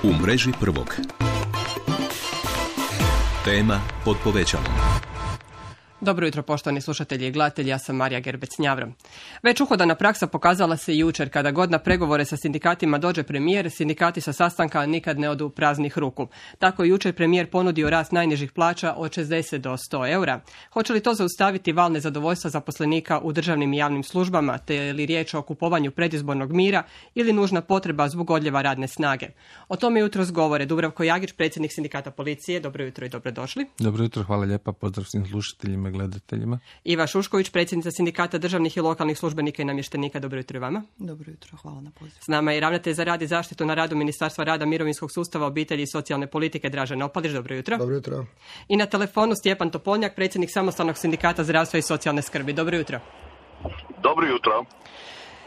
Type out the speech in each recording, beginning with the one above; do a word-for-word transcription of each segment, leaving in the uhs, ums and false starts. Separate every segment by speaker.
Speaker 1: U mreži prvog. Tema pod povećalom.
Speaker 2: Dobro jutro, poštovani slušatelji i gledatelji, ja sam Marija Gerbec-Njavro. Već uhodana praksa pokazala se jučer. Kada god na pregovore sa sindikatima dođe premijer, sindikati sa sastanka nikad ne odu praznih ruku. Tako je jučer premijer ponudio rast najnižih plaća od šezdeset do sto eura. Hoće li to zaustaviti val nezadovoljstva zaposlenika u državnim i javnim službama, te je li riječ o kupovanju predizbornog mira ili nužna potreba zbog odljeva radne snage? O tome jutros govore Dubravko Jagić, predsjednik sindikata policije. Dobro jutro i dobrodošli.
Speaker 3: Dobro jutro, hvala lijepa, pozdrav svim slušateljima, gledateljima.
Speaker 2: Iva Šušković, predsjednica sindikata državnih i lokalnih službenika i namještenika. Dobro jutro i vama.
Speaker 4: Dobro jutro, hvala na pozivu.
Speaker 2: S nama je ravnatelj za rad i zaštitu na radu Ministarstva rada, mirovinskog sustava, obitelji i socijalne politike Dražen Opalić. Dobro jutro.
Speaker 5: Dobro jutro.
Speaker 2: I na telefonu Stjepan Topolnjak, predsjednik samostalnog sindikata zdravstva i socijalne skrbi. Dobro jutro.
Speaker 6: Dobro jutro.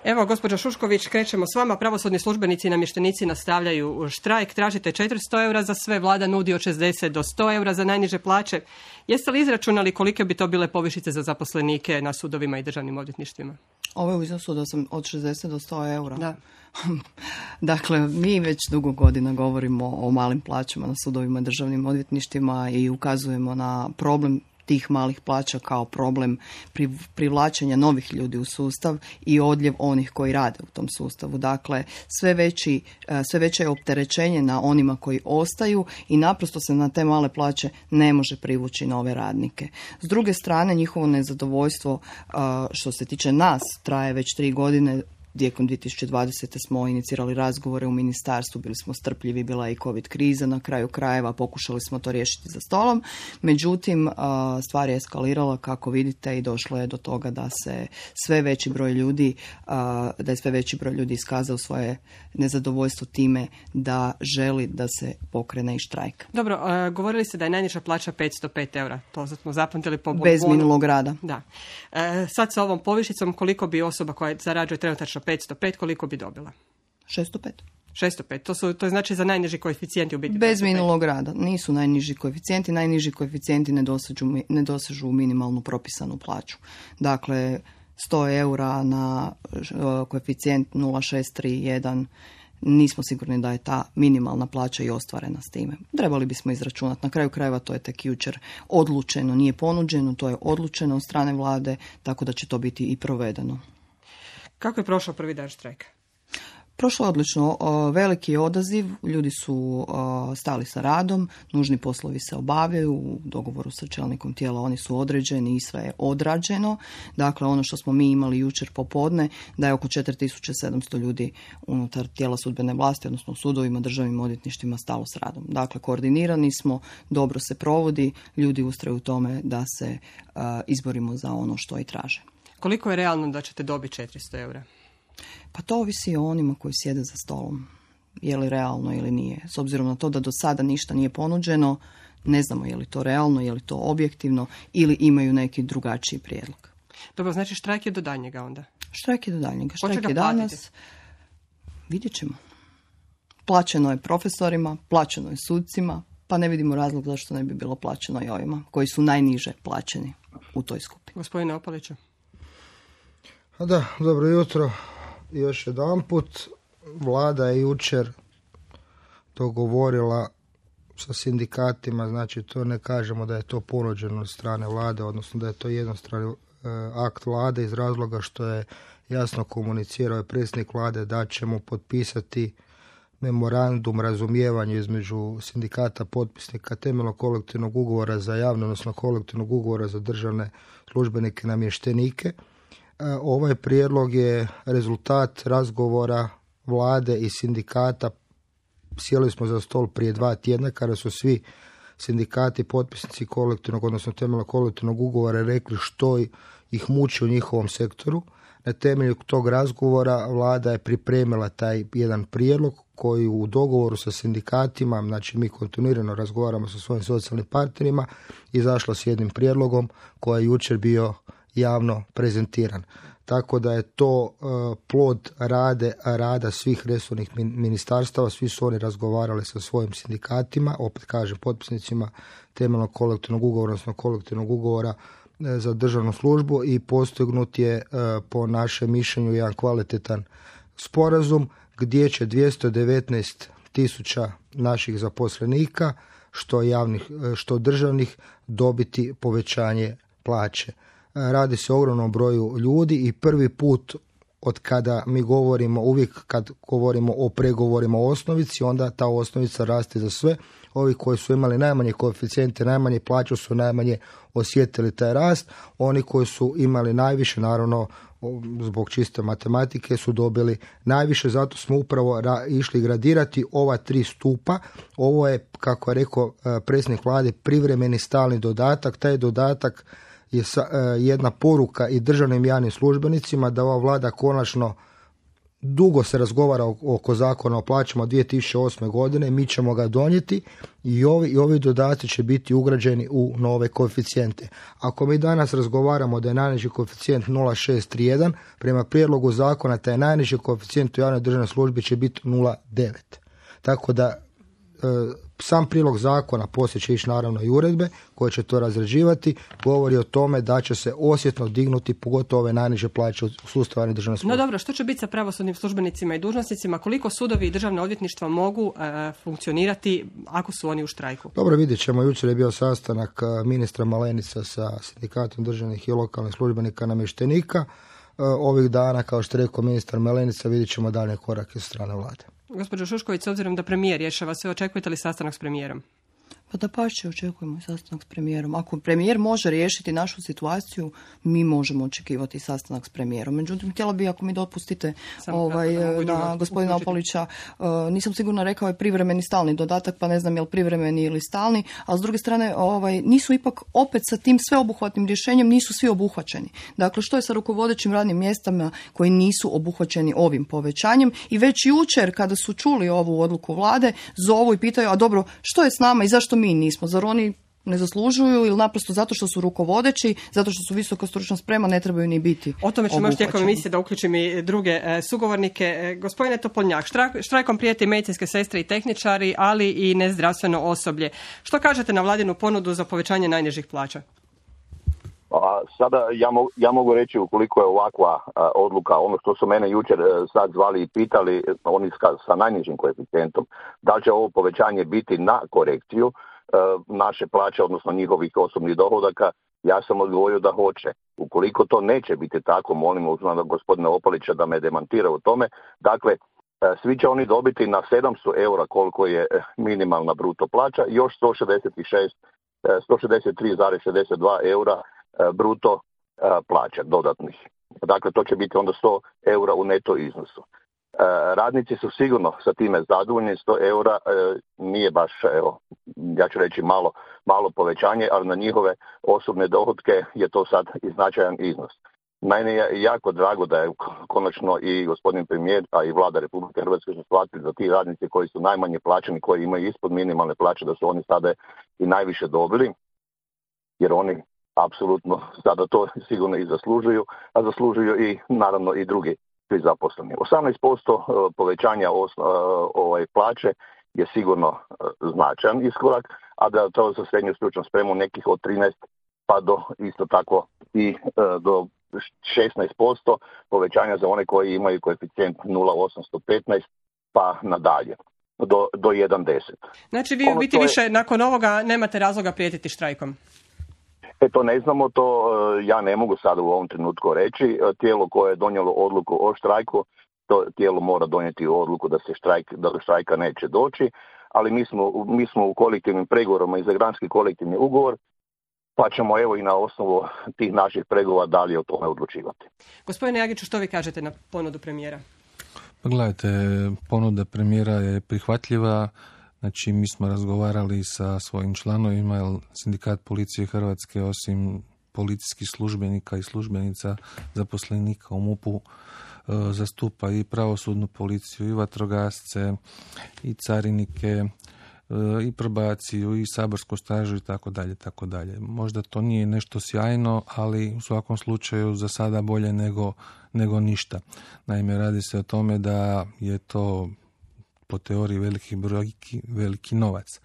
Speaker 2: Evo, gospođo Šušković, krećemo s vama. Pravosudni službenici i namještenici nastavljaju štrajk. Tražite četiristo eura za sve, vlada nudi od šezdeset do sto eura za najniže plaće. Jeste li izračunali kolike bi to bile povišice za zaposlenike na sudovima i državnim odvjetništvima?
Speaker 4: Ovo je u iznosu od šezdeset do sto eura.
Speaker 2: Da.
Speaker 4: Dakle, mi već dugo godina govorimo o malim plaćama na sudovima i državnim odvjetništvima i ukazujemo na problem tih malih plaća kao problem privlačenja novih ljudi u sustav i odljev onih koji rade u tom sustavu. Dakle, sve, veći, sve veće je opterećenje na onima koji ostaju i naprosto se na te male plaće ne može privući nove radnike. S druge strane, njihovo nezadovoljstvo što se tiče nas traje već tri godine. Tijekom dvije tisuće dvadesete smo inicirali razgovore u ministarstvu, bili smo strpljivi, bila je i covid kriza, na kraju krajeva pokušali smo to riješiti za stolom. Međutim, stvar je eskalirala, kako vidite, i došlo je do toga da se sve veći broj ljudi, da je sve veći broj ljudi iskazao svoje nezadovoljstvo time da želi da se pokrene i štrajk.
Speaker 2: Dobro, govorili ste da je najniža plaća petsto pet eura. To smo zapamtili po
Speaker 4: bez minulog rada.
Speaker 2: Da. E, sad sa ovom povišicom koliko bi osoba koja zarađuje trenutačno petsto pet, koliko bi dobila?
Speaker 4: šesto pet.
Speaker 2: šesto pet, to, su, to je znači za najniži koeficijenti u biti.
Speaker 4: Bez minulog rada. Nisu najniži koeficijenti, najniži koeficijenti ne dosežu, ne dosežu minimalnu propisanu plaću. Dakle, sto eura na koeficijent nula zarez šest tri jedan, nismo sigurni da je ta minimalna plaća i ostvarena s time. Trebali bismo izračunati. Na kraju krajeva to je tek jučer odlučeno, nije ponuđeno, to je odlučeno od strane vlade, tako da će to biti i provedeno.
Speaker 2: Kako je prošao prvi dan štrajka?
Speaker 4: Prošlo je odlično. Veliki je odaziv, ljudi su stali sa radom, nužni poslovi se obavljaju, u dogovoru sa čelnikom tijela oni su određeni i sve je odrađeno. Dakle, ono što smo mi imali jučer popodne, da je oko četiri tisuće sedamsto ljudi unutar tijela sudbene vlasti, odnosno u sudovima, državnim odvjetništvima stalo s radom. Dakle, koordinirani smo, dobro se provodi, ljudi ustraju u tome da se izborimo za ono što i traže.
Speaker 2: Koliko je realno da ćete dobiti četiristo eura?
Speaker 4: Pa to ovisi o onima koji sjede za stolom. Je li realno ili nije. S obzirom na to da do sada ništa nije ponuđeno, ne znamo je li to realno, je li to objektivno ili imaju neki drugačiji prijedlog.
Speaker 2: Dobro, znači štrajk je do daljnjega onda?
Speaker 4: Štrajk je do daljnjega. Štrajk je danas. Vidjet ćemo. Plaćeno je profesorima, plaćeno je sucima, pa ne vidimo razlog zašto ne bi bilo plaćeno i ovima koji su najniže plaćeni u toj skupini.
Speaker 2: Gospodine Opaliću.
Speaker 5: Da, dobro jutro. Još jedan put, vlada je jučer dogovorila sa sindikatima, znači to ne kažemo da je to ponuđeno od strane vlade, odnosno da je to jednostrani akt vlade iz razloga što je jasno komunicirao je predsjednik vlade da ćemo potpisati memorandum razumijevanja između sindikata potpisnika temeljnog kolektivnog ugovora za javno, odnosno kolektivnog ugovora za državne službenike i namještenike. Ovaj prijedlog je rezultat razgovora vlade i sindikata. Sjeli smo za stol prije dva tjedna kada su svi sindikati potpisnici kolektivnog, odnosno temeljnog kolektivnog ugovora rekli što ih muči u njihovom sektoru. Na temelju tog razgovora vlada je pripremila taj jedan prijedlog koji u dogovoru sa sindikatima, znači mi kontinuirano razgovaramo sa svojim socijalnim partnerima, izašla s jednim prijedlogom koji je jučer bio javno prezentiran. Tako da je to uh, plod rade, rada svih resornih ministarstava, svi su oni razgovarali sa svojim sindikatima, opet kažem potpisnicima temeljnog kolektivnog ugovora, odnosno kolektivnog ugovora za državnu službu i postignut je uh, po našem mišljenju jedan kvalitetan sporazum gdje će dvjesto devetnaest tisuća naših zaposlenika, što javnih, što državnih, dobiti povećanje plaće. Radi se o ogromnom broju ljudi i prvi put od kada mi govorimo, uvijek kad govorimo o pregovorima o osnovici, onda ta osnovica raste za sve. Ovi koji su imali najmanje koeficijente, najmanje plaću su najmanje osjetili taj rast. Oni koji su imali najviše, naravno zbog čiste matematike, su dobili najviše. Zato smo upravo ra- išli gradirati ova tri stupa. Ovo je, kako je rekao predsjednik vlade, privremeni stalni dodatak. Taj dodatak je sa, jedna poruka i državnim javnim službenicima da ova vlada konačno, dugo se razgovara oko zakona o plaćama dvije tisuće osme godine, mi ćemo ga donijeti i ovi, i ovi dodaci će biti ugrađeni u nove koeficijente. Ako mi danas razgovaramo da je najniži koeficijent nula zarez šest tri jedan, prema prijedlogu zakona taj najniži koeficijent u javnoj državnoj službi će biti nula zarez devet. Tako da sam prilog zakona, poslije će ići naravno i uredbe koje će to razrađivati, govori o tome da će se osjetno dignuti pogotovo ove najniže plaće u sustavu javne državne službe.
Speaker 2: No dobro, što će biti sa pravosudnim službenicima i dužnosnicima? Koliko sudovi i državna odvjetništva mogu e, funkcionirati ako su oni u štrajku?
Speaker 5: Dobro, vidjet ćemo. Jučer je bio sastanak ministra Malenica sa sindikatom državnih i lokalnih službenika namještenika. Ovih dana, kao što je rekao ministar Malenica, vidjet ćemo dalje korake sa strane vlade.
Speaker 2: Gospođo Šušković, s obzirom da premijer rješava sve, očekujete li sastanak s premijerom?
Speaker 4: Pa da pače, očekujemo i sastanak s premijerom. Ako premijer može riješiti našu situaciju, mi možemo očekivati sastanak s premijerom. Međutim, htjela bi, ako mi dopustite, ovaj, na gospodina Opolića, uh, nisam sigurno rekao je privremeni stalni dodatak, pa ne znam je li privremeni ili stalni, a s druge strane ovaj, nisu ipak opet sa tim sveobuhvatnim rješenjem nisu svi obuhvaćeni. Dakle, što je sa rukovodećim radnim mjestama koji nisu obuhvaćeni ovim povećanjem i već jučer kada su čuli ovu odluku vlade, zovu i pitaju, a dobro, što je s nama i zašto mi nismo? Zar oni ne zaslužuju ili naprosto zato što su rukovodeći, zato što su visoko stručna sprema, ne trebaju ni biti.
Speaker 2: O tome ćemo još tijekom emisije da uključim i druge e, sugovornike. E, gospodine Topoljnjak, štrajk, štrajkom prijeti medicinske sestre i tehničari, ali i nezdravstveno osoblje. Što kažete na vladinu ponudu za povećanje najnižih plaća?
Speaker 6: A sada ja, mo, ja mogu reći, ukoliko je ovakva a, odluka, ono što su mene jučer a, sad zvali i pitali, oni sa, sa najnižim koeficijentom, da li će ovo povećanje biti na korekciju a, naše plaće, odnosno njihovih osobnih dohodaka, ja sam odgovorio da hoće. Ukoliko to neće biti tako, molim uzmano gospodina Opolića da me demantira u tome. Dakle, a, svi će oni dobiti na sedamsto eura koliko je minimalna bruto plaća, još sto šezdeset šest, sto šezdeset tri zarez šezdeset dva eura bruto plaća dodatnih. Dakle, to će biti onda sto eura u neto iznosu. Radnici su sigurno sa time zadovoljni, sto eura nije baš, evo, ja ću reći malo, malo povećanje, ali na njihove osobne dohotke je to sad i značajan iznos. Meni je jako drago da je konačno i gospodin premijer, a i vlada Republike Hrvatske su shvatili da ti radnici koji su najmanje plaćeni, koji imaju ispod minimalne plaće, da su oni sada i najviše dobili, jer oni apsolutno sada to sigurno i zaslužuju, a zaslužuju i naravno i drugi svi zaposleni. osamnaest posto povećanja osno, ovaj, plaće je sigurno značajan iskorak, a da to za srednju stručnu spremu nekih od trinaest pa do isto tako i do šesnaest posto povećanja za one koji imaju koeficijent nula zarez osamsto petnaest pa nadalje do, do jedan zarez deset.
Speaker 2: Znači vi u biti je... više nakon ovoga nemate razloga prijetiti štrajkom?
Speaker 6: E to ne znamo, to ja ne mogu sada u ovom trenutku reći. Tijelo koje je donijelo odluku o štrajku, to tijelo mora donijeti odluku da se štrajk, da do štrajka neće doći, ali mi smo, mi smo u kolektivnim pregovorima i za granski kolektivni ugovor, pa ćemo evo i na osnovu tih naših pregovora dalje o tome odlučivati.
Speaker 2: Gospodine Jagiću, što vi kažete na ponudu premijera?
Speaker 3: Pa gledajte, ponuda premijera je prihvatljiva. Znači, mi smo razgovarali sa svojim članovima, jer Sindikat policije Hrvatske, osim policijskih službenika i službenica zaposlenika u MUP-u, zastupa i pravosudnu policiju, i vatrogasce, i carinike, i probaciju, i saborsku stražu, i tako dalje, tako dalje. Možda to nije nešto sjajno, ali u svakom slučaju za sada bolje nego, nego ništa. Naime, radi se o tome da je to po teoriji veliki brojki, veliki novac.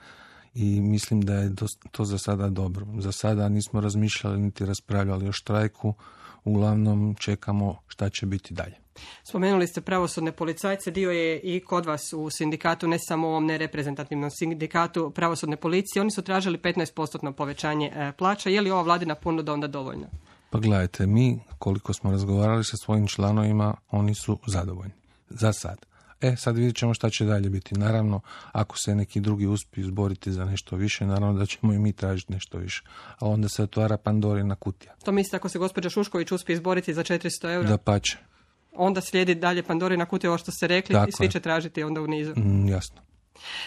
Speaker 3: I mislim da je to za sada dobro. Za sada nismo razmišljali niti raspravljali o štrajku. uglavnom čekamo šta će biti dalje.
Speaker 2: Spomenuli ste pravosudne policajce, dio je i kod vas u sindikatu, ne samo u ovom nereprezentativnom sindikatu pravosudne policije. Oni su tražili petnaest posto povećanje plaća. Je li ova vladina ponuda onda dovoljna?
Speaker 3: Pa gledajte, mi koliko smo razgovarali sa svojim članovima, oni su zadovoljni. Za sad. E, sad vidjet ćemo šta će dalje biti. Naravno, ako se neki drugi uspiju izboriti za nešto više, naravno da ćemo i mi tražiti nešto više. A onda se otvara Pandorina kutija.
Speaker 2: To mislite ako se gospođa Šušković uspije izboriti za četiristo eura?
Speaker 3: Da pače.
Speaker 2: Onda slijedi dalje Pandorina kutija, ovo što ste rekli, tako i svi je. Će tražiti onda u nizu.
Speaker 3: Mm, jasno.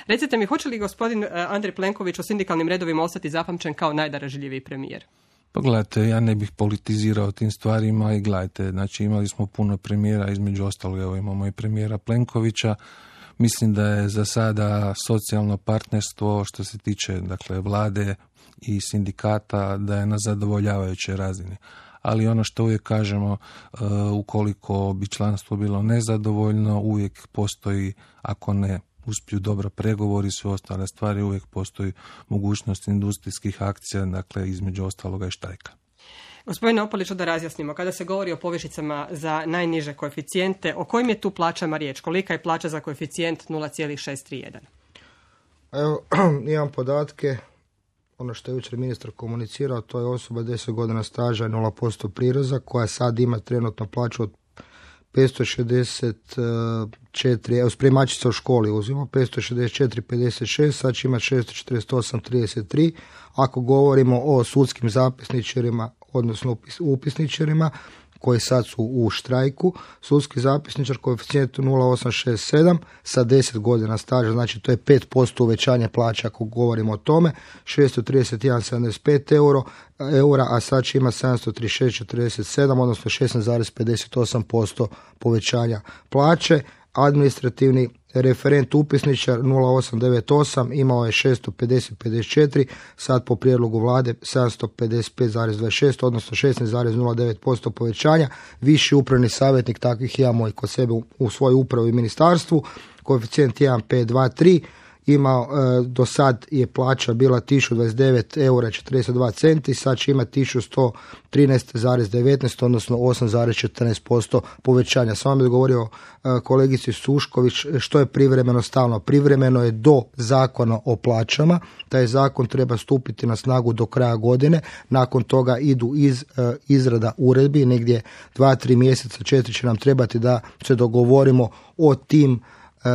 Speaker 2: Recite mi, hoće li gospodin Andrej Plenković u sindikalnim redovima ostati zapamćen kao najdaražljiviji premijer?
Speaker 3: Pa gledajte, ja ne bih politizirao tim stvarima i gledajte, znači imali smo puno premijera, između ostalog evo imamo i premijera Plenkovića. Mislim da je za sada socijalno partnerstvo što se tiče dakle vlade i sindikata da je na zadovoljavajućoj razini. Ali ono što uvijek kažemo, uh, ukoliko bi članstvo bilo nezadovoljno, uvijek postoji, ako ne uspiju dobro pregovori i sve ostale stvari, uvijek postoji mogućnost industrijskih akcija, dakle između ostaloga i štrajka.
Speaker 2: Gospodine Opoliću, da razjasnimo, kada se govori o povišicama za najniže koeficijente, o kojim je tu plaćama riječ? Kolika je plaća za koeficijent nula zarez šest tri jedan?
Speaker 5: Evo, imam podatke. Ono što je jučer ministar komunicirao, to je osoba deset godina staža i nula posto prireza, koja sad ima trenutno plaću od petsto šezdeset četiri, evo spremačica u školi uzimo, petsto šezdeset četiri pedeset šest, sad će imati šesto četrdeset osam trideset tri. Ako govorimo o sudskim zapisničarima, odnosno upisničarima, koji sad su u štrajku, sudski zapisničar koeficijent nula zarez osam šest sedam sa deset godina staža, znači to je pet posto uvećanje plaća ako govorimo o tome, šesto trideset jedan zarez sedamdeset pet eura, a sad će ima sedamsto trideset šest zarez četrdeset sedam, odnosno šesnaest zarez pedeset osam posto povećanja plaće. Administrativni referent upisničar nula osam devet osam imao je šesto pedeset pedeset četiri, sad po prijedlogu vlade sedamsto pedeset pet zarez dvadeset šest, odnosno šesnaest zarez nula devet posto povećanja. Viši upravni savjetnik, takvih imamo i kod sebe u, u svojoj upravi i ministarstvu, koeficijent jedan pet dva tri, imao, e, do sad je plaća bila tisuću dvadeset devet eura četrdeset dva centi, sad će imati tisuću sto trinaest zarez devetnaest, odnosno osam zarez četrnaest posto povećanja. Samo mi je govorio e, kolegici Šušković što je privremeno stalno. Privremeno je do zakona o plaćama, taj zakon treba stupiti na snagu do kraja godine, nakon toga idu iz, e, izrada uredbi, negdje dva, tri mjeseca, četiri će nam trebati da se dogovorimo o tim e,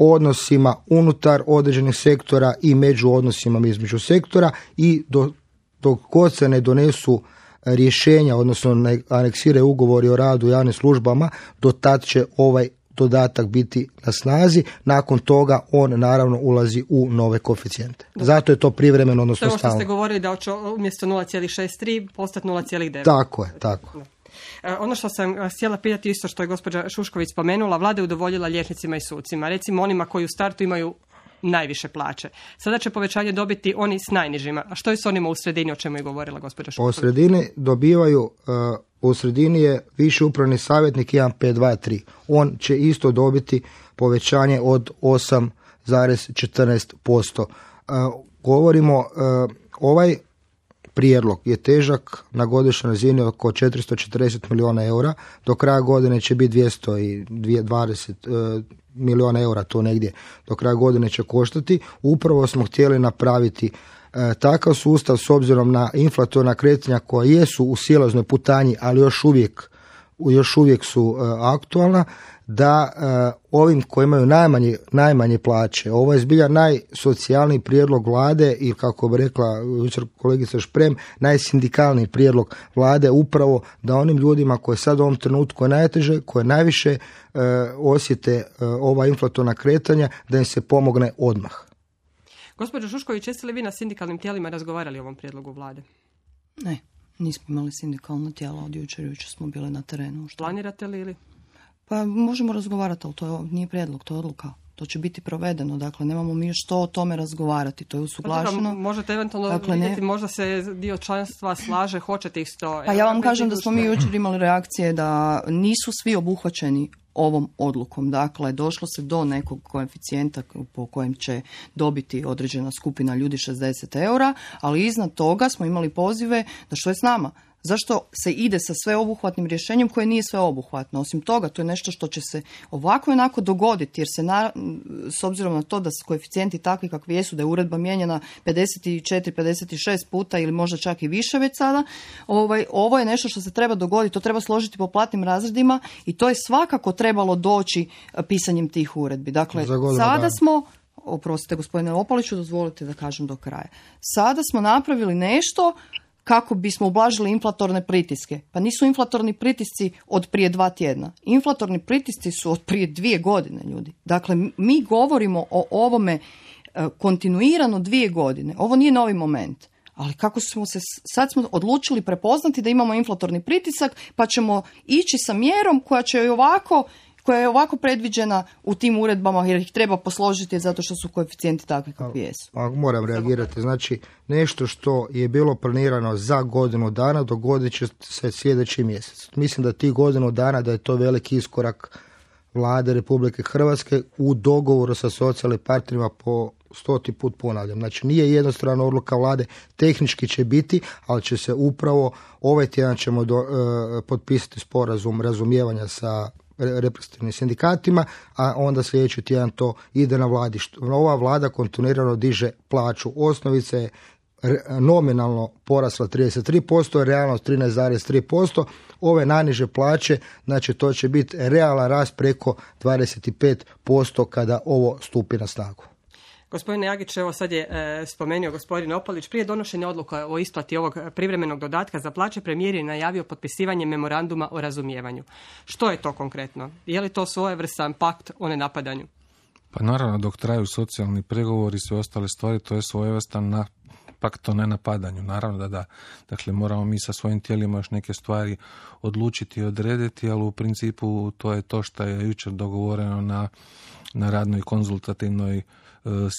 Speaker 5: odnosima unutar određenih sektora i među odnosima između sektora i do, dok god se ne donesu rješenja, odnosno ne aneksiraju ugovori o radu u javnim službama, do tad će ovaj dodatak biti na snazi, nakon toga on naravno ulazi u nove koeficijente. Zato je to privremeno, odnosno stalno. To je ovo što ste govorili da će umjesto nula zarez šest tri postati nula zarez devet. Tako je, tako.
Speaker 2: Ono što sam htjela pitati, isto što je gospođa Šušković spomenula, vlada je udovoljila liječnicima i sucima, recimo onima koji u startu imaju najviše plaće. Sada će povećanje dobiti oni s najnižima. A što je s onima u sredini, o čemu je govorila gospođa Šušković?
Speaker 5: U sredini dobivaju, uh, u sredini je viši upravni savjetnik jedan pet dva tri. On će isto dobiti povećanje od osam zarez četrnaest posto. Uh, govorimo, uh, ovaj prijedlog je težak na godišnjoj razini oko četiristo četrdeset milijuna eura, do kraja godine će biti dvjesto dvadeset milijuna eura, to negdje do kraja godine će koštati. Upravo smo htjeli napraviti e, takav sustav s obzirom na inflatorna kretanja koja jesu u silaznoj putanji, ali još uvijek, još uvijek su e, aktualna, da e, ovim koji imaju najmanje, najmanje plaće, ovo je zbilja najsocijalniji prijedlog vlade i kako bi rekla jučer kolegica Šprem, najsindikalniji prijedlog vlade, upravo da onim ljudima koji sad u ovom trenutku je najteže, koje najviše e, osjete e, ova inflatorna kretanja, da im se pomogne odmah.
Speaker 2: Gospođo Šušković, jeste li vi na sindikalnim tijelima razgovarali o ovom prijedlogu vlade?
Speaker 4: Ne, nismo imali sindikalno tijelo od jučer, jučer smo bili na terenu. Što?
Speaker 2: Planirate li ili?
Speaker 4: Pa možemo razgovarati, ali to je, nije prijedlog, to je odluka. To će biti provedeno, dakle nemamo mi što o tome razgovarati, to je usuglašeno.
Speaker 2: Pa možete eventualno dakle, vidjeti, ne... možda se dio članstva slaže, hoćete isto.
Speaker 4: Pa ja vam kažem da smo mi jučer imali reakcije da nisu svi obuhvaćeni ovom odlukom. Dakle, došlo se do nekog koeficijenta po kojem će dobiti određena skupina ljudi šezdeset eura, ali iznad toga smo imali pozive da što je s nama. Zašto se ide sa sveobuhvatnim rješenjem koje nije sveobuhvatno? Osim toga, to je nešto što će se ovako i onako dogoditi, jer se na, s obzirom na to da su koeficijenti takvi kakvi jesu, da je uredba mijenjana pedeset četiri pedeset šest puta ili možda čak i više već sada, ovaj, ovo je nešto što se treba dogoditi, to treba složiti po platnim razredima i to je svakako trebalo doći pisanjem tih uredbi. Dakle, sada smo, oprostite gospodine Opaliću, dozvolite da kažem do kraja, sada smo napravili nešto kako bismo ublažili inflatorne pritiske. Pa nisu inflatorni pritisci od prije dva tjedna. Inflatorni pritisci su od prije dvije godine, ljudi. Dakle, mi govorimo o ovome kontinuirano dvije godine. Ovo nije novi moment. Ali kako smo se, sad smo odlučili prepoznati da imamo inflatorni pritisak, pa ćemo ići sa mjerom koja će i ovako koja je ovako predviđena u tim uredbama jer ih treba posložiti zato što su koeficijenti takvi kakvi jesu.
Speaker 5: A, moram reagirati. Znači, nešto što je bilo planirano za godinu dana dogodit će se sljedeći mjesec. Mislim da ti godinu dana da je to veliki iskorak Vlade Republike Hrvatske u dogovoru sa socijalnim partnerima po stoti put ponavljam. Znači, nije jednostrana odluka Vlade, tehnički će biti, ali će se upravo ovaj tjedan ćemo do, e, potpisati sporazum razumijevanja sa reprezentativnim sindikatima, a onda sljedeći tjedan to ide na vladi. Ova vlada kontinuirano diže plaću. Osnovica je nominalno porasla trideset tri posto, realno trinaest zarez tri posto. Ove najniže plaće, znači to će biti realan rast preko dvadeset pet posto kada ovo stupi na snagu.
Speaker 2: Gospodine Jagić, evo sad je e, spomenuo gospodin Opalić, prije donošenja odluka o isplati ovog privremenog dodatka za plaće, premijer je najavio potpisivanje memoranduma o razumijevanju. Što je to konkretno? Je li to svojevrstan pakt o nenapadanju?
Speaker 3: Pa naravno, dok traju socijalni pregovori i sve ostale stvari, to je svojevrstan na pakt o nenapadanju. Naravno da da. Dakle, moramo mi sa svojim tijelima još neke stvari odlučiti i odrediti, ali u principu to je to što je jučer dogovoreno na, na radnoj konzultativnoj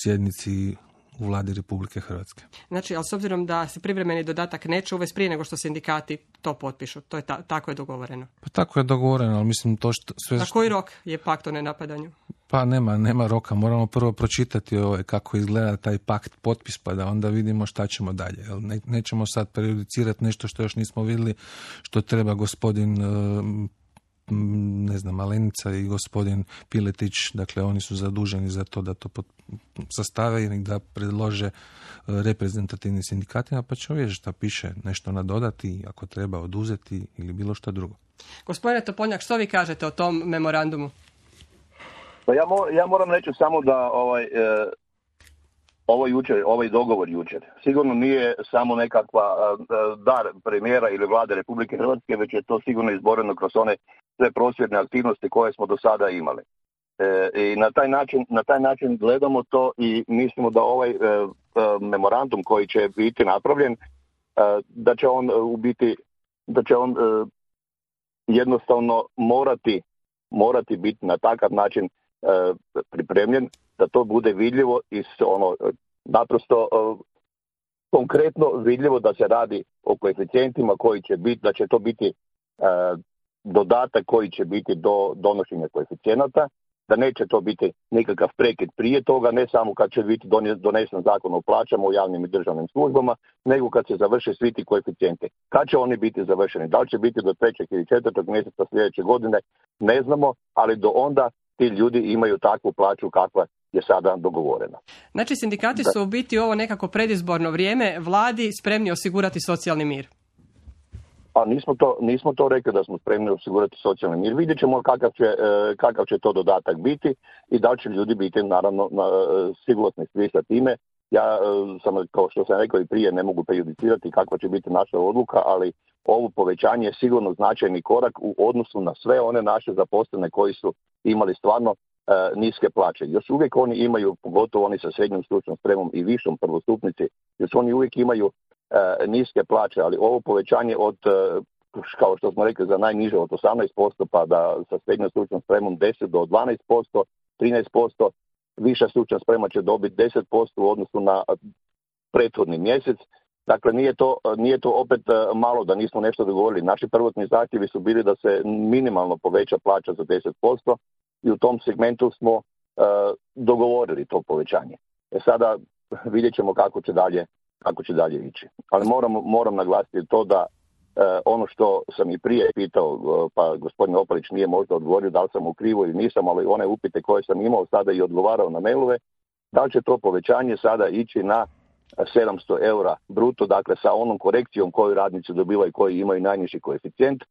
Speaker 3: sjednici u Vladi Republike Hrvatske.
Speaker 2: Znači, ali s obzirom da se privremeni dodatak neće uvesti prije nego što sindikati to potpišu, to je ta, tako je dogovoreno.
Speaker 3: Pa tako je dogovoreno, ali mislim to što sve.
Speaker 2: Na koji rok je pakt o nenapadanju?
Speaker 3: Pa nema, nema roka, moramo prvo pročitati ovaj, kako izgleda taj pakt potpis, pa da onda vidimo šta ćemo dalje. Ne, nećemo sad prejudicirati nešto što još nismo vidjeli, što treba gospodin ne znam, Malenica i gospodin Piletić, dakle oni su zaduženi za to da to sastave i da predlože reprezentativnim sindikatima, pa ćemo vidjeti šta piše, nešto nadodati, ako treba oduzeti ili bilo šta drugo.
Speaker 2: Gospodine Topoljnjak, što vi kažete o tom memorandumu?
Speaker 6: Pa ja, mo, ja moram reći samo da ovaj, e, ovo jučer, ovaj dogovor jučer sigurno nije samo nekakva e, dar premijera ili Vlade Republike Hrvatske, već je to sigurno izboreno kroz one sve prosvjedne aktivnosti koje smo do sada imali. E, I na taj način, na taj način gledamo to i mislimo da ovaj e, e, memorandum koji će biti napravljen, e, da će on u biti, da će on e, jednostavno morati, morati biti na takav način e, pripremljen da to bude vidljivo i ono naprosto e, konkretno vidljivo da se radi o koeficijentima koji će biti, da će to biti e, dodatak koji će biti do donošenja koeficijenata, da neće to biti nikakav prekid prije toga, ne samo kad će biti donesen zakon o plaćama u javnim i državnim službama, nego kad se završe svi ti koeficijenti. Kad će oni biti završeni? Da li će biti do trećeg ili četvrtog mjeseca sljedeće godine? Ne znamo, ali do onda ti ljudi imaju takvu plaću kakva je sada dogovorena.
Speaker 2: Znači, sindikati su u biti ovo nekako predizborno vrijeme vladi spremni osigurati socijalni mir.
Speaker 6: A nismo to, nismo to rekli da smo spremni osigurati socijalni mir. Vidjet ćemo kakav će, kakav će to dodatak biti i da li će ljudi biti naravno sigurni svi sa time. Ja sam, kao što sam rekao i prije, ne mogu prejudicirati kakva će biti naša odluka, ali ovo povećanje je sigurno značajni korak u odnosu na sve one naše zaposlene koji su imali stvarno niske plaće. Još uvijek oni imaju, pogotovo oni sa srednjom stručnom spremom i višom prvostupnici, još oni uvijek imaju niske plaće, ali ovo povećanje od, kao što smo rekli, za najniže od osamnaest posto pa da sa srednjom stručnom spremom deset do dvanaest posto, trinaest posto, viša stručna sprema će dobiti deset posto u odnosu na prethodni mjesec. Dakle, nije to, nije to opet malo da nismo nešto dogovorili. Naši prvotni zahtjevi su bili da se minimalno poveća plaća za deset posto i u tom segmentu smo uh, dogovorili to povećanje. E sada vidjet ćemo kako će dalje kako će dalje ići. Ali moram, moram naglasiti to da ono što sam i prije pitao, pa gospodin Opalić nije možda odgovorio da li sam u krivu ili nisam, ali one upite koje sam imao sada i odgovarao na mailove, da li će to povećanje sada ići na sedamsto eura bruto, dakle sa onom korekcijom koju radnici dobivaju koji imaju najniži koeficijent,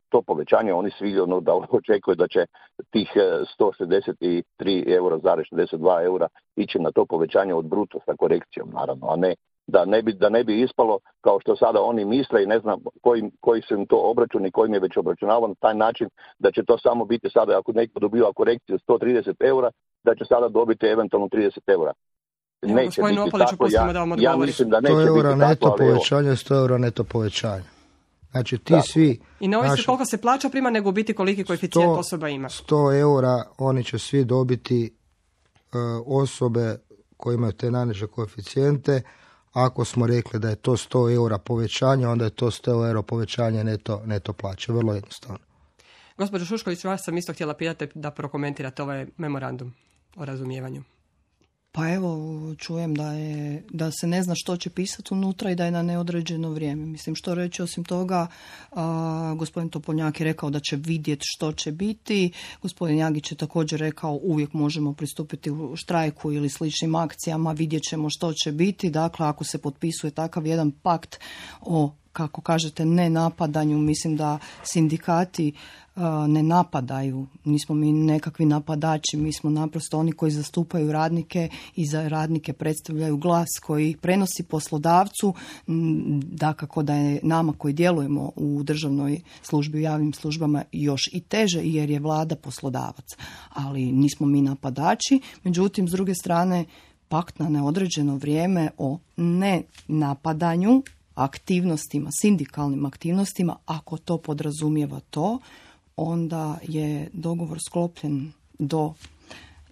Speaker 6: to povećanje oni svi ono da očekuju da će tih sto šezdeset tri eura zarez šezdeset dva eura ići na to povećanje od bruto sa korekcijom, naravno, a ne da ne bi, da ne bi ispalo kao što sada oni misle i ne znam koji, koji su im to obračuni, kojim je već obračunavano na taj način da će to samo biti sada ako neko dobiva korekciju sto trideset eura, da će sada dobiti eventualno trideset eura.
Speaker 2: Evo, neće biti Opaliću, tako, ja, da
Speaker 6: ja mislim da neće
Speaker 5: sto eura
Speaker 6: biti
Speaker 5: neto
Speaker 6: tako,
Speaker 5: povećanje, sto eura neto povećanje. Znači ti tako. Svi...
Speaker 2: I ne ovisi koliko se plaća prima, nego u biti koliki koeficijent osoba ima.
Speaker 5: sto eura oni će svi dobiti uh, osobe koje imaju te najniže koeficijente. Ako smo rekli da je to sto eura povećanje, onda je to sto eura povećanje neto, neto plaće. Vrlo jednostavno.
Speaker 2: Gospođo Šušković, vas sam isto htjela pitati da prokomentirate ovaj memorandum o razumijevanju.
Speaker 4: Pa evo, čujem da, je, da se ne zna što će pisati unutra i da je na neodređeno vrijeme. Mislim, što reći osim toga, a, gospodin Topoljnjak je rekao da će vidjeti što će biti. Gospodin Jagić je također rekao uvijek možemo pristupiti u štrajku ili sličnim akcijama, vidjet ćemo što će biti. Dakle, ako se potpisuje takav jedan pakt o, kako kažete, ne napadanju, mislim da sindikati ne napadaju, nismo mi nekakvi napadači, mi smo naprosto oni koji zastupaju radnike i za radnike predstavljaju glas koji prenosi poslodavcu, dakako da je nama koji djelujemo u državnoj službi, u javnim službama još i teže jer je vlada poslodavac, ali nismo mi napadači. Međutim, s druge strane, pakt na neodređeno vrijeme o nenapadanju aktivnostima, sindikalnim aktivnostima, ako to podrazumijeva to, onda je dogovor sklopljen do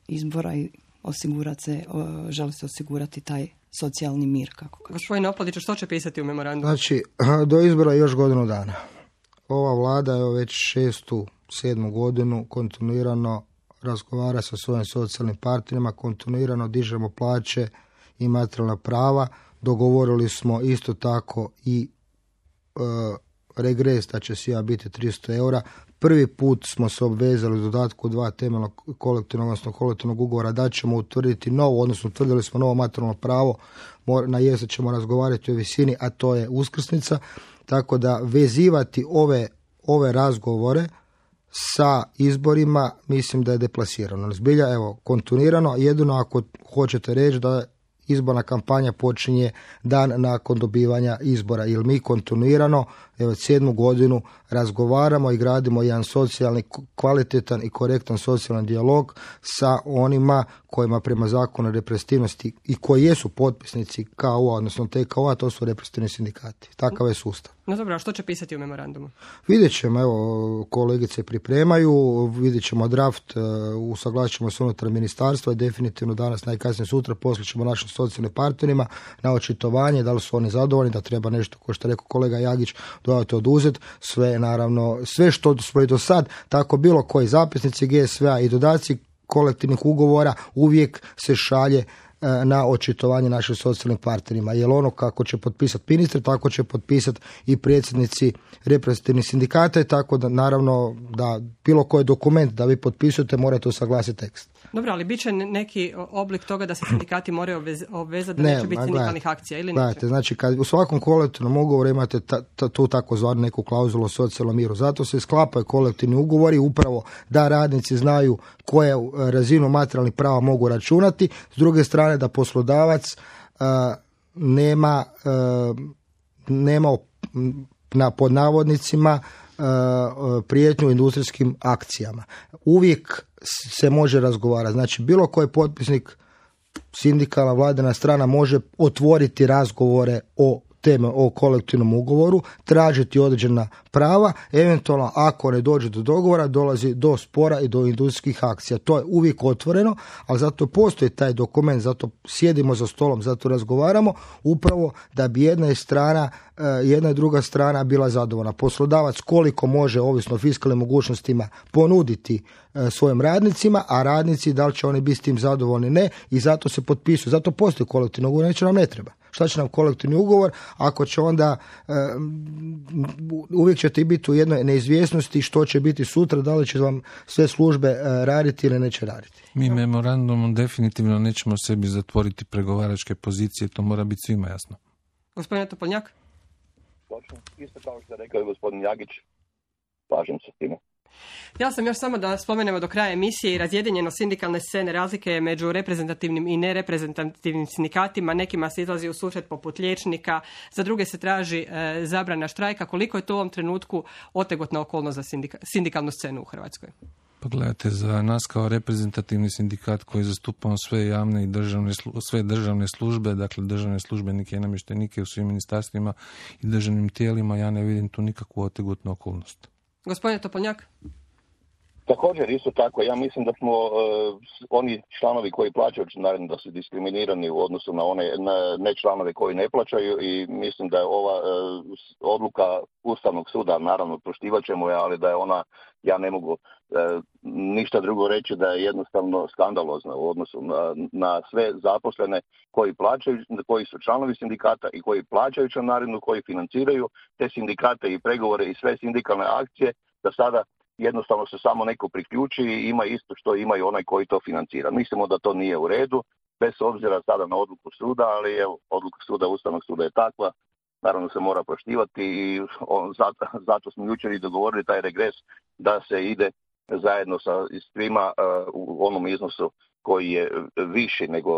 Speaker 4: izbora i osigurati se, želi se osigurati taj socijalni mir, kako kaže.
Speaker 2: Gospodine Opaliću, što će pisati u memorandumu?
Speaker 5: Znači, do izbora još godinu dana. Ova vlada je već šestu, sedmu godinu kontinuirano razgovara sa svojim socijalnim partnerima, kontinuirano dižemo plaće i materijalna prava. Dogovorili smo isto tako i e, regres da će svima biti tristo eura. Prvi put smo se obvezali u dodatku dva temeljnog kolektivnog, odnosno kolektivnog ugovora da ćemo utvrditi novo, odnosno utvrdili smo novo materijalno pravo, na jesen ćemo razgovarati o visini, a to je uskrsnica, tako da vezivati ove, ove razgovore sa izborima mislim da je deplasirano. Zbilja, evo, kontinuirano, jedino ako hoćete reći da izborna kampanja počinje dan nakon dobivanja izbora, jer mi kontinuirano evo sedmu godinu razgovaramo i gradimo jedan socijalni, kvalitetan i korektan socijalni dijalog sa onima kojima prema zakonu o reprezentativnosti i koji jesu potpisnici K O A, odnosno T K O A, to su reprezentativni sindikati. Takav je sustav.
Speaker 2: No dobro, a što će pisati u memorandumu?
Speaker 5: Vidjet ćemo, evo, kolegice pripremaju, vidjet ćemo draft, usaglasit ćemo se unutar ministarstva i definitivno danas, najkasnije sutra, poslije ćemo našim socijalnim partnerima na očitovanje, da li su oni zadovoljni, da treba nešto, kao što je rekao kolega Jagić, dodati oduzeti, sve naravno, sve što smo i do sad, tako bilo koji zapisnici G S V-a i dodaci kolektivnih ugovora uvijek se šalje na očitovanje našim socijalnim partnerima. Jer ono kako će potpisati ministri, tako će potpisati i predsjednici reprezentativnih sindikata i tako da naravno da bilo koji dokument da vi potpisujete morate usaglasiti tekst.
Speaker 2: Dobro, ali bit će neki oblik toga da se sindikati moraju obvezati da ne, neće biti sindikalnih akcija ili neće? Gledajte,
Speaker 5: znači kad u svakom kolektivnom ugovoru imate ta, ta, tu takozvanu neku klauzulu o socijalnom miru. Zato se sklapaju kolektivni ugovori upravo da radnici znaju koje razinu materijalnih prava mogu računati. S druge strane da poslodavac uh, nema, uh, nema na pod navodnicima uh, prijetnju industrijskim akcijama. Uvijek se može razgovarati. Znači, bilo koji potpisnik, sindikalna, vladina strana može otvoriti razgovore o teme, o kolektivnom ugovoru, tražiti određena prava, eventualno ako ne dođe do dogovora, dolazi do spora i do industrijskih akcija. To je uvijek otvoreno, ali zato postoji taj dokument, zato sjedimo za stolom, zato razgovaramo, upravo da bi jedna strana, jedna i druga strana bila zadovoljna. Poslodavac koliko može, ovisno o fiskalnim mogućnostima, ponuditi svojim radnicima, a radnici da li će oni biti s tim zadovoljni, ne, i zato se potpisuju. Zato postoji kolektivno ugovor, neće nam ne treba. šta će nam kolektivni ugovor, ako će onda uvijek ćete biti u jednoj neizvjesnosti što će biti sutra, da li će vam sve službe raditi ili neće raditi.
Speaker 3: Mi memorandumom definitivno nećemo sebi zatvoriti pregovaračke pozicije, to mora biti svima jasno.
Speaker 2: Gospodine Topoljnjak?
Speaker 6: Točno, isto kao što je rekao gospodin Jagić, slažem se s time.
Speaker 2: Ja sam još samo da spomenemo do kraja emisije i razjedinjeno sindikalne scene, razlike među reprezentativnim i nereprezentativnim sindikatima. Nekima se izlazi u susret poput liječnika, za druge se traži e, zabrana štrajka. Koliko je to u ovom trenutku otegotna okolnost za sindika, sindikalnu scenu u Hrvatskoj?
Speaker 3: Pa gledajte, za nas kao reprezentativni sindikat koji zastupamo sve javne i državne, sve državne službe, dakle državne službenike i namještenike u svim ministarstvima i državnim tijelima, ja ne vidim tu nikakvu otegotnu okolnost. Gospodine
Speaker 2: Topoljnjak?
Speaker 6: Također, isto tako, ja mislim da smo uh, oni članovi koji plaćaju članarinu da su diskriminirani u odnosu na one na, ne članove koji ne plaćaju i mislim da je ova uh, odluka Ustavnog suda, naravno poštivat ćemo je, ali da je ona, ja ne mogu uh, ništa drugo reći, da je jednostavno skandalozna u odnosu na, na sve zaposlene koji plaćaju, koji su članovi sindikata i koji plaćaju članarinu, koji financiraju te sindikate i pregovore i sve sindikalne akcije, da sada jednostavno se samo neko priključi i ima isto što ima i onaj koji to financira. Mislimo da to nije u redu, bez obzira sada na odluku suda, ali evo, odluka suda, Ustavnog suda je takva, naravno se mora poštivati i on, zato, zato smo jučer i dogovorili taj regres da se ide zajedno sa svima uh, u onom iznosu koji je viši nego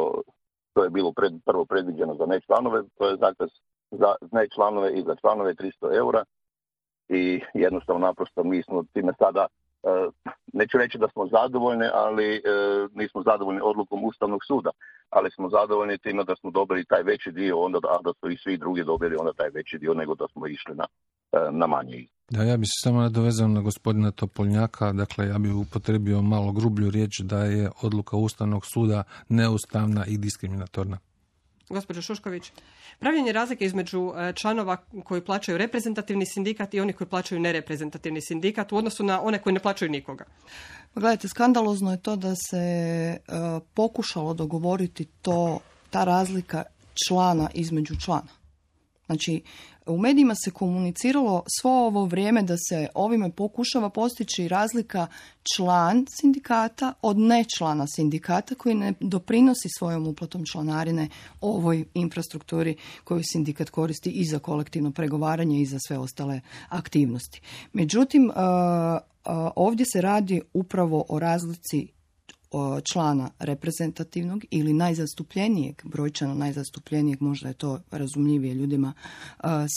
Speaker 6: to je bilo pred, prvo predviđeno za nečlanove, to je dakle za nečlanove i za članove tristo eura. I jednostavno naprosto mi smo time sada, neću reći da smo zadovoljni, ali nismo zadovoljni odlukom Ustavnog suda, ali smo zadovoljni time da smo dobili taj veći dio, onda a da su i svi drugi dobili onda taj veći dio nego da smo išli na, na manje.
Speaker 3: Da, ja bi se samo nadovezao na gospodina Topoljnjaka, dakle ja bih upotrebio malo grublju riječ da je odluka Ustavnog suda neustavna i diskriminatorna.
Speaker 2: Gospođo Šušković, pravljenje razlike između članova koji plaćaju reprezentativni sindikat i oni koji plaćaju nereprezentativni sindikat u odnosu na one koji ne plaćaju nikoga.
Speaker 4: Gledajte, skandalozno je to da se uh, pokušalo dogovoriti to, ta razlika člana između člana. Znači, u medijima se komuniciralo svo ovo vrijeme da se ovime pokušava postići razlika član sindikata od nečlana sindikata koji ne doprinosi svojom uplatom članarine ovoj infrastrukturi koju sindikat koristi i za kolektivno pregovaranje i za sve ostale aktivnosti. Međutim, ovdje se radi upravo o razlici člana reprezentativnog ili najzastupljenijeg, brojčano najzastupljenijeg, možda je to razumljivije ljudima,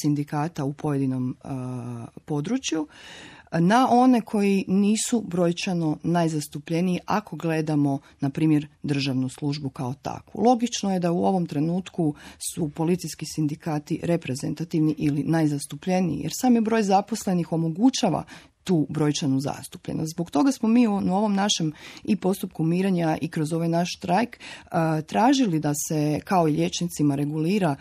Speaker 4: sindikata u pojedinom području, na one koji nisu brojčano najzastupljeniji ako gledamo, na primjer, državnu službu kao takvu. Logično je da u ovom trenutku su policijski sindikati reprezentativni ili najzastupljeniji, jer sami broj zaposlenih omogućava tu brojčanu zastupljenost. Zbog toga smo mi u ovom našem i postupku mirenja i kroz ovaj naš štrajk tražili da se kao i liječnicima regulira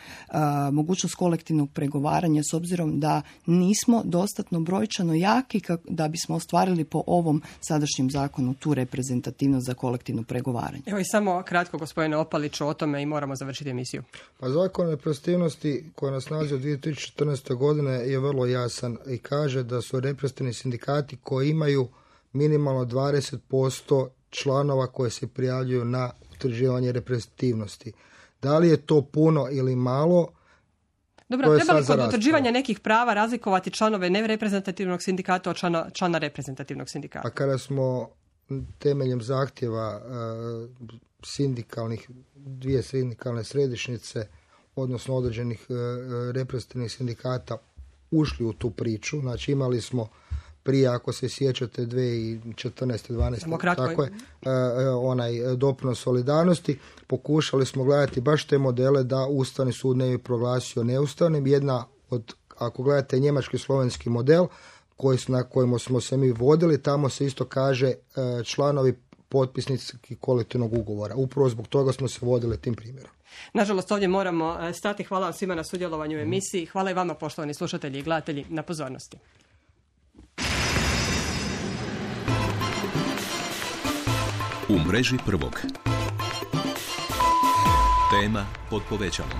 Speaker 4: mogućnost kolektivnog pregovaranja s obzirom da nismo dostatno brojčano jaki da bismo ostvarili po ovom sadašnjem zakonu tu reprezentativnost za kolektivno pregovaranje.
Speaker 2: Evo i samo kratko, gospodine Opaliću, o tome i moramo završiti emisiju.
Speaker 5: Pa zakon o reprezentativnosti koji nas nalazi od dvije tisuće četrnaeste. godine je vrlo jasan i kaže da su reprezentativni sindikati koji imaju minimalno dvadeset posto članova koje se prijavljuju na utvrđivanje reprezentativnosti. Da li je to puno ili malo?
Speaker 2: Dobro, treba li kod utvrđivanja nekih prava razlikovati članove nereprezentativnog sindikata od člana, člana reprezentativnog sindikata?
Speaker 5: A kada smo temeljem zahtjeva uh, sindikalnih, dvije sindikalne središnjice, odnosno određenih uh, reprezentativnih sindikata ušli u tu priču, znači imali smo prije, ako se sjećate, dvije tisuće četrnaeste. dvanaeste. tako je, onaj doprinos solidarnosti, pokušali smo gledati baš te modele da Ustavni sud ne bi proglasio neustavnim. Jedna od, ako gledate njemački slovenski model, koji, na kojemu smo se mi vodili, tamo se isto kaže članovi potpisnici kolektivnog ugovora. Upravo zbog toga smo se vodili tim primjerom.
Speaker 2: Nažalost, ovdje moramo stati. Hvala vam svima na sudjelovanju u emisiji. Hvala i vama, poštovani slušatelji i gledatelji, na pozornosti.
Speaker 1: U mreži prvog. Tema pod povećalom.